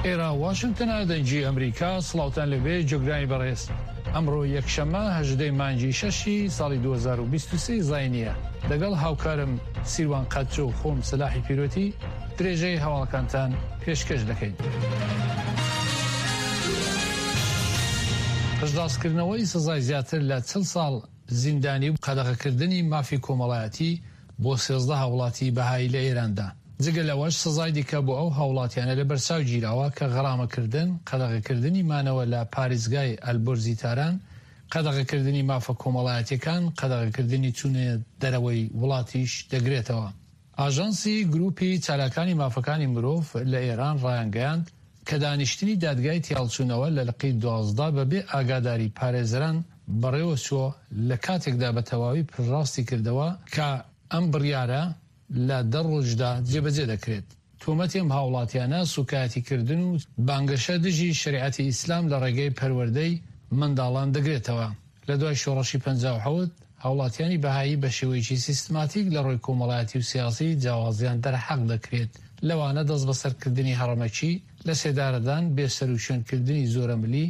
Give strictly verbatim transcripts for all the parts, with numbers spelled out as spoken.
ئێرە واشنگتنە، دەنگی ئەمریکا. سڵاوتان لێبێ جۆگرانی بەڕێز. ئەمڕۆ یەکشەممە هەژدەی مانگی شەشی ساڵی دوو هەزار و بیست و سێ زاینییە. لەگەڵ هاوکارم سیروان قەتجۆ و خۆم سەلاحی پیرۆتی درێژەی هەواڵەکانتان پێشکەش دەکەین. پشتڕاستکردنەوەی سزای زیاتر لە چل ساڵ زیندانی و قەدەغەکردنی مافی کۆمەڵایەتی بۆ سێزدە هاوڵاتی بەهایی لە ئێراندا. جگە لەوەش سزای دیکە بۆ ئەو هاوڵاتیانە لەبەرچاو گیراوە کە غەرامەکردن، قەدەغەکردنی مانەوە لە پارێزگای ئەلبورزی تاران، قەدەغەکردنی مافە کۆمەڵایەتیەکان، قەدەغەکردنی چوونە دەرەوەی وڵاتیش دەگرێتەوە. ئاژانسی گروپی چالاکانی مافەکانی مرۆڤ لە ئێران ڕایانگەیاند کە دانیشتنی دادگای تیاڵچوونەوە لە لقی دوازدە بەبێ ئاگاداری پارێزەران بەڕێوەچووە، لە کاتێکدا بە تەواوی پشتڕاستی کردەوە کە ئەم بڕیارە لە دە ڕۆژدا جێبەجێ دەکرێت. تۆمەتی ئەم هاوڵاتیانە سوکایەتیکردن و بانگەشە دژی شەریعەتی ئیسلام لە ڕێگەی پەروەردەی منداڵان دەگرێتەوە. لە دوای شۆڕشی پەنجا و حەوت هاوڵاتیانی بەهایی بە شێوەیەکی سیستماتیک لە ڕووی کۆمەڵایەتی و سیاسی جیاوازیان دەرحەق دەکرێت، لەوانە دەستبەسەرکردنی هەڕەمەکی، لە سێدارەدان، بێسەروشوێنکردنی زۆرەملی،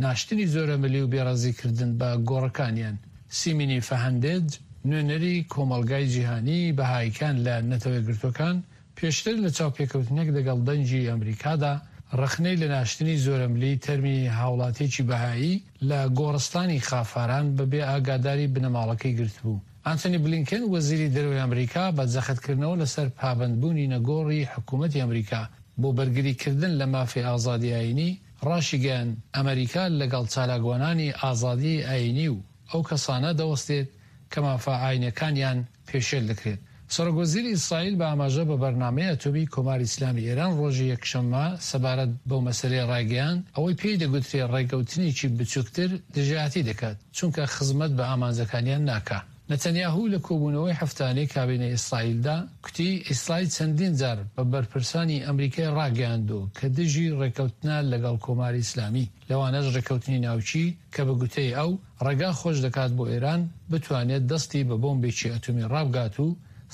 ناشتنی زۆرەملی و بێڕێزیکردن بە گۆڕەکانیان. سیمینی فەهەندێج، نوێنەری کۆمەڵگای جیهانی بەهاییکان لە نەتەوەیەکگرتووەکان، پێشتر لە چاوپێکەوتنێک دەگەڵ دەنگی ئەمریکادا ڕەخنەی لە ناشتنی زۆرەملی تەرمی هاوڵاتیەکی بەهایی لە گۆڕستانی خافاران بە بێ ئاگاداری بنەماڵەکەی گرتبوو. ئانتۆنی بلینکن، وەزیری دەرەوەی ئەمریکا، بە جەختکردنەوە لەسەر پابەندبوونی نەگۆڕی حکوومەتی ئەمریکا بۆ بەرگریکردن لە مافی ئازادی ئایینی، ڕاشیگەیاند، ئەمریکا لەگەڵ چالاکوانانی ئازادی ئایینی و ئەو کەسانە دەوەستێت کە مافە ئایینەکانیان پێشێل دەکرێت. سەرۆک وەزیری ئیسرائیل بە ئاماژە بە بەرنامەی ئەتۆمی کۆماری ئیسلامی ئێران ڕۆژی یەکشەممە سەبارەت بەو مەسەلەیە ڕایگەیاند، ئەوەی پێی دەگوترێ ڕێکەوتنێکی بچووکتر دژایەتی دەکات، چونکە خزمەت بە ئامانجەکانیان ناکا. نەتەنیاهو لە کۆبوونەوەی هەفتانەی کابینەی ئیسرائیلدا کوتی، ئیسرائیل چەندین جار بە بەرپرسانی ئەمریکای ڕاگەیاندووە کە دژی ڕێکەوتنە لەگەڵ کۆماری ئیسلامی، لەوانەش ڕێکەوتنی ناوکی کە بە گوتەی ئەو ڕێگا خۆش دەکات بۆ ئێران بتوانێت دەستی بە بۆمبێکی ئەتۆمی ڕابگات و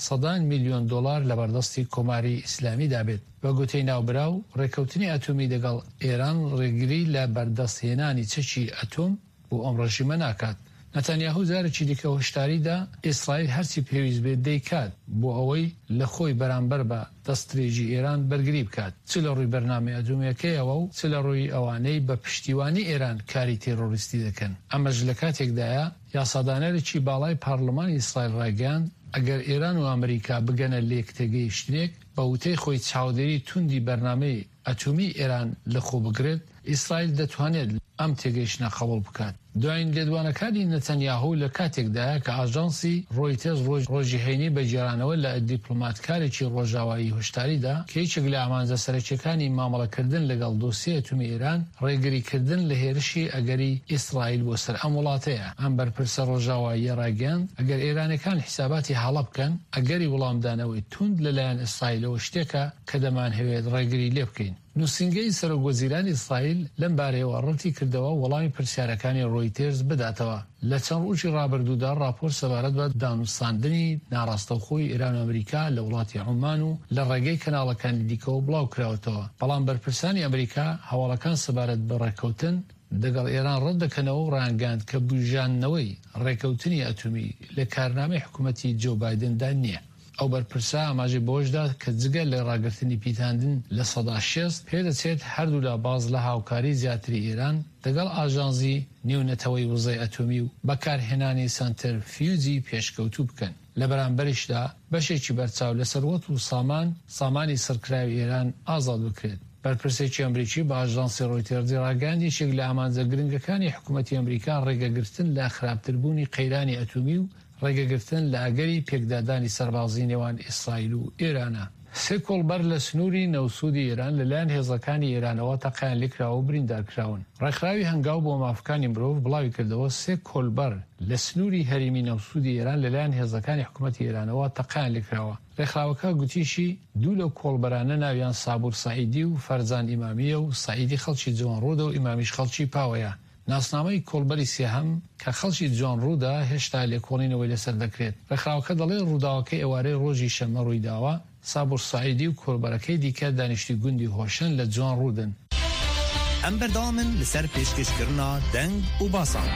سەدان میلیۆن دۆلار لەبەردەستی کۆماری ئیسلامیدا بێت. بە گوتەی ناوبراو ڕێکەوتنی ئەتۆمی دەگەڵ ئێران ڕێگری لە بەردەستهێنانی چەکی ئەتۆم بۆ ئەم ڕژیمە ناکات. نەتەنیاهو جارێکی دیکە هۆشداریدا ئیسرائیل هەرچی پێویست بێت دەیکات بۆ ئەوەی لە خۆی بەرامبەر بە دەستدرێژی ئێران بەرگری بکات، چ لە ڕووی بەرنامەی ئەتۆمیەکەیەوە و چ لە ڕووی ئەوانەی بە پشتیوانی ئێران کاری تێرۆریستی دەکەن. ئەمەش لە کاتێکدایە یاسادانەرێکی باڵای پارلمانی ئیسرائیل ڕایگەیاند ئەگەر ئێران و ئەمریکا بگەنە لێکتێگەیشتنێک بە وتەی خۆی چاودێری توندی بەرنامەی ئەتۆمی ئێران لەخۆ بگرێت، ئیسرائیل دەتوانێت ئەم تێگەیشتنە قبوڵ بکات. دوایین لێدوانەکانی نەتەنیاهو لە کاتێکدایە کە ئاژانسی ڕۆیتەرز ڕۆژی هەینی بە گێڕانەوە لە دیپلۆماتکارێکی ڕۆژاوایی هۆشداریدا کە یەکێک لە ئامانجە سەرەکیەکانی مامەڵەکردن لەگەڵ دۆسیە ئەتۆمی ئێران ڕێگریکردن لە هێرشی ئەگەری ئیسرائیل بۆ سەر ئەم وڵاتەیە. ئەم بەرپرسە ڕۆژاواییە ڕایگەیاند ئەگەر ئێرانەکان حیساباتی هەڵە بکەن، ئەگەری وەڵامدانەوەی توند لەلایەن ئیسرائیلەوە شتێکە کە دەمانهەوێت ڕێگری لێ بکەین. نووسینگەی سەرۆک وەزیرانی ئیسرائیل لەم بارەیەوە ڕەتی کردەوە وەڵامی پرسیارەکانی ڕۆیتێرز بداتەوە. لە چەند ڕۆژی ڕابردوودا ڕاپۆرت سەبارەت بە دانوستاندنی ناڕاستەوخۆی ئێران و ئەمریکا لە وڵاتی عومان و لە ڕێگەی کەناڵەکانی دیکەوە بڵاو کراوەتەوە، بەڵام بەرپرسانی ئەمریکا هەواڵەکان سەبارەت بە ڕێککەوتن دەگەڵ ئێران ڕەت دەکەنەوە و ڕایانگەیاند کە بوژاندنەوەی ڕێککەوتنی ئەتۆمی لە کارنامەی حکوومەتی جۆ بایدندا نییە. ئەو بەرپرسە ئاماژەی بەوەشدا کە جگە لە ڕاگرتنی پیتاندن لە سەدا شێست پێدەچێت هەردوولا باز لە هاوکاری زیاتری ئێران دەگەڵ ئاژانسی نێونەتەوەی وزەی ئەتۆمی و بەکارهێنانی سەنتەرفیوجی پێشکەوتوو بکەن. لە بەرامبەریشدا بەشێکی بەرچاو لە سەروەت و سامان سامانی سڕکراوی ئێران ئازاد بکرێت. بەرپرسێکی ئەمریکی بە ئاژانسی ڕۆیتێرزی ڕاگەیاند یەکێک لە ئامانجە گرنگەکانی حکوومەتی ئەمریکا ڕێگەگرتن لە خراپتربوونی قەیرانی ئەتۆمی و ڕێگەگرتن لە ئەگەری پێکدادانی سەربازی نێوان ئیسرائیل و ئێرانە. سێ کۆڵبەر لە سنووری نەوسوودی ئێران لەلایەن هێزەکانی ئێرانەوە تەقەیان لێکراوە و بریندار کراون. ڕێکخراوی هەنگاو بۆ مافەکانی مرۆڤ بڵاوی کردەوە سێ کۆلبەر لە سنووری هەرێمی نەوسوودی ئێران لەلایەن هێزەکانی حکوومەتی ئێرانەوە تەقەیان لێکراوە. ڕێکخراوەکە گوتیشی دوو لەو کۆڵبەرانە ناویان سابور سەعیدی و فەرزان ئیمامییە و سەعیدی خەڵکی جوانڕوودە و ئیمامیش خەڵکی پاوەیە. ناسنامەی کۆڵبەری سێهەم کە خەڵکی جوانڕوودە هێشتا لێکۆڵینەوەی لەسەر دەکرێت. ڕێکخراوەکە دەڵێ ڕووداوەکەی ئێوارەی ڕۆژی شەممە ڕوویداوە. سابور سەعیدی و کۆڵبەرەکەی دیکە دانیشتووی گوندی هۆشن لە جوانڕوودن. Em berdewam in li ser pêşkêşkirina deng û basan.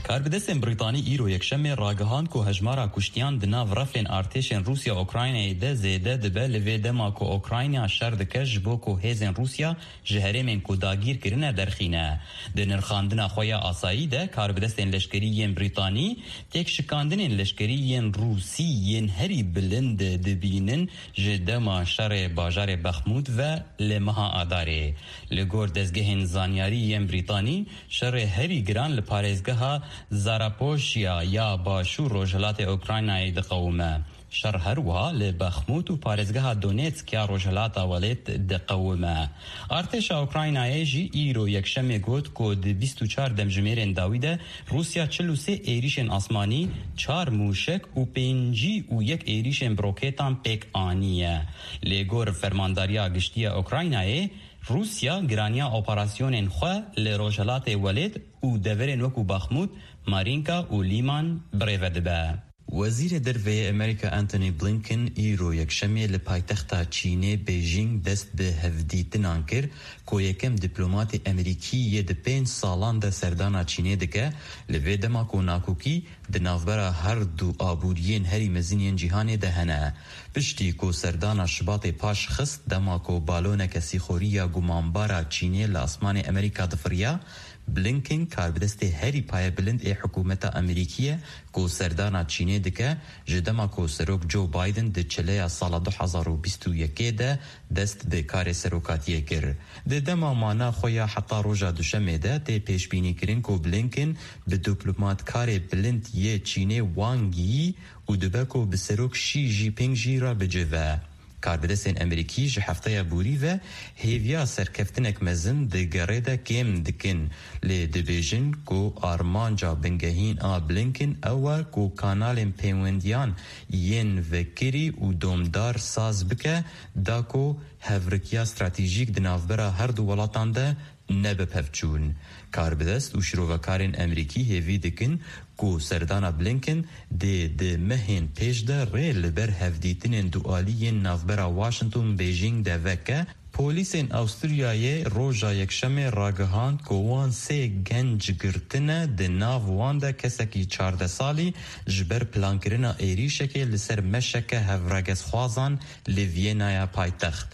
Karbidestên Brîtanî îro Yekşemê ragihand ku hejmara kuştiyan di nav refên artêşên Rûsya Ukraynayê de zêde dibe li vê dema ku Ukrayna şer dike ji bo ku hêzên Rûsya ji herêmên ku dagîr kirine derxîne. Di nirxandina xwe ya asayî de karbidestên leşkerî yên Brîtanî têkşikandinên leşkerî yên Rûsî yên herî bilind dibînin ji dema şerê bajarê Bexmûd ve li meha Adarê. Li gor dezgehên zanyarî yên Brîtanî şerê herî giran li parêzgeha Zarapoşya ya başûr rojhilatê Ukraynayê diqewime. Şer her wiha li Bexmûd û parêzgeha Donetsk ya rojhilata welêt diqewime. Artêşa Ukraynayê jî îro Yekşemê got ku di bîst û çar demjimêrên dawî de Rûsya çil û sê êrîşên asmanî, çar mûşek û pêncî û yek êrîşên bi rokêtan pêk aniye. Li gor Fermandariya Giştî ya Ukraynayê Rûsya giraniya operasyonên xwe li rojhilatê welêt û deverên wekû Bexmûd, Marînka û Lîman birêve dibe. Wezîrê Derve yê Amerîka Antony Blinken îro Yekşemê li paytexta Çînê Beijing dest bi hevdîtinan kir ku yekem diplomatê Amerîkî yê di pênc salan de serdana Çînê dike li vê dema ku nakokî di navbera her du aboriyên herî mezin yên cîhanê de hene. Piştî ku serdana Şibatê paş xist dema ku baloneke sîxorî ya gumanbara Çînê li asmanê Amerîka difiriya, Blinken karbidestê herî payebilind ê hikûmeta Amerîkî ye ku serdana Çînê dike ji dema ku Serok Joe Biden di çileya sala du hezar û bîst û yekê de dest bi karê serokatiyê kir. Di dema mana xwe ya heta roja duşemê de tê pêşbînîkirin ku Blinken bi diplomatkarê bilind yê Çînê Wang Yi û dibe ku bi Serok Xi Jinping jî re bicive. Karbidestên Amerîkî ji hefteya borî ve hêviya serkeftinek mezin di gerê de kêm dikin lê dibêjin ku armanca bingehîn a Blinken ew e ku kanalên pêwendiyan yên vekirî û domdar saz bike da ku hevrikiya stratejîk di navbera her du welatan de nebe pevçûn. Karbidest û şirovekarên Amerîkî hêvî dikin ku serdana Blinken dê di mehên pêş de rê li ber hevdîtinên dualî yên navbera Washington Beijing de veke. Polîsên Awisturyayê roja Yekşemê ragihand ku wan sê genc girtine di nav wan de kesekî çardeh salî ji ber plankirina êrîşekê li ser meşeke hevregezxwazan li Viyenaya paytext.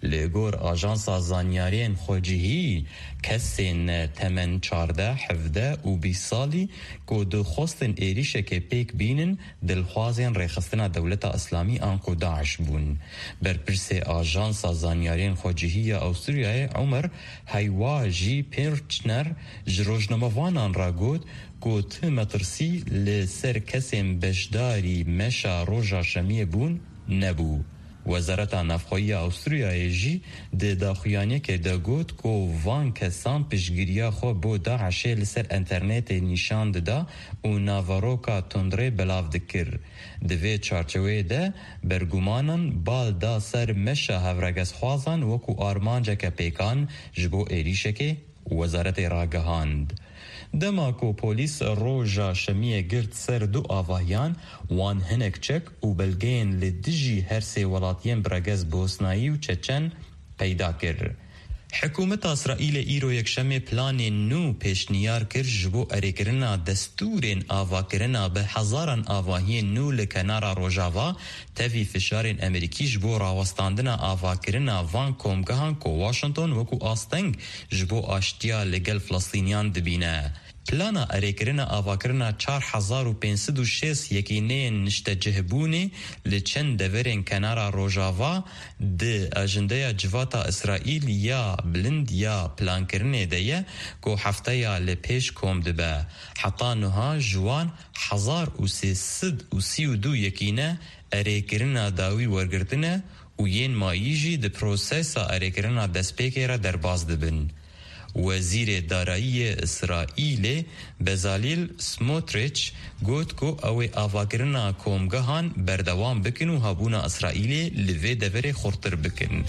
Li gor ajansa zanyariyên xwecihî kesên temen çardeh, hevdeh û bîst salî ku dixwestin êrîşekê pêk bînin dilxwazên rêxistina Dewleta Îslamî an ku Daîş bûn. Berpirsê ajansa zanyariyên xwecihî ya Awisturyayê Omer Heywajî Pirchner ji rojnamevanan re got ku ti metirsî li ser kesên beşdarî meşa roja şemiyê bûn nebû. Wezareta Navxweyî ya Awisturyayê jî di daxuyaniyekê de got ku van kesan piştgiriya xwe bo Daişê li ser înternetê nîşan dida û naveroka tundrê belav dikir. Di vê çarçoveyê de bergumanan bal da ser meşa hevregezxwazan wekû armanceke pêkan ji bo êrîşekê wezaretê ragihand. Dema ku polîs roja şemiyê girt ser du avahiyan, wan hinek çek û belgeyên li dijî her sê welatiyên bi regez Bosnayî û Çeçen peyda kir. Hikûmeta Îsraîlê îro Yekşemê planên nû pêşniyar kir ji bo erêkirina destûrên avakirina bi hezaran avahiyên nû li kenara Rojava tevî fişarên Amerîkî ji bo rawestandina avakirina van komgehan ku Washington wekû asteng ji bo aştiya li gel Filistîniyan dibîne. Plana erêkirina avakirina çar hezar û pênc sed û şêst yekîneyên niştecihbûnê li çend deverên kenara Rojava di ajendeya Civata Îsraîl ya bilind ya plankirinê de ye ku hefteya li pêş kom dibe. Heta niha ji wan hezar û sê sed û sî û du yekîne erêkirina dawî wergirtine û yên mayî jî di prosesa erêkirina destpêkê re derbas dibin. Wezîrê Darayî yê Îsraîlê Bezalel Smotrich got ku ew ê avakirina komgehan berdewam bikin û hebûna Îsraîlê li vê deverê xurttir bikin.